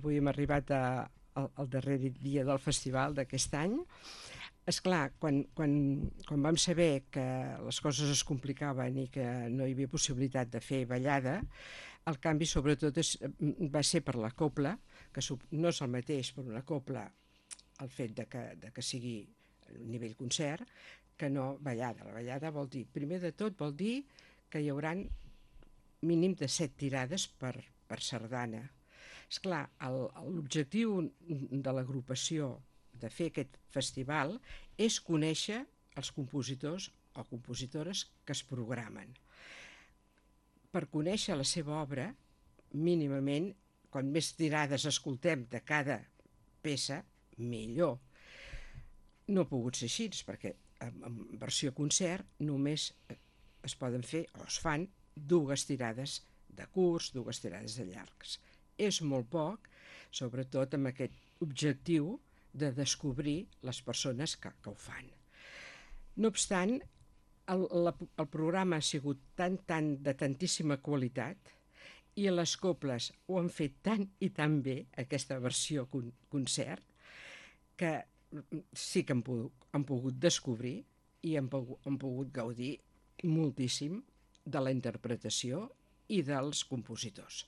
Avui hem arribat al darrer dia del festival d'aquest any. És clar, quan vam saber que les coses es complicaven i que no hi havia possibilitat de fer ballada, el canvi sobretot va ser per la cobla, que no és el mateix per una cobla el fet de que sigui a nivell concert que no ballada. La ballada vol dir, primer de tot, vol dir que hi haurà mínim de 7 tirades per sardana. Esclar, l'objectiu de l'agrupació de fer aquest festival és conèixer els compositors o compositores que es programen. Per conèixer la seva obra, mínimament, quan més tirades escoltem de cada peça, millor. No ha pogut ser així, perquè en versió concert només es poden fer o es fan 2 tirades de curts, 2 tirades de llargs. És molt poc, sobretot amb aquest objectiu de descobrir les persones que ho fan. No obstant, el programa ha sigut de tantíssima qualitat i les coples ho han fet tant i tan bé, aquesta versió concert, que sí que han pogut descobrir i han pogut gaudir moltíssim de la interpretació i dels compositors.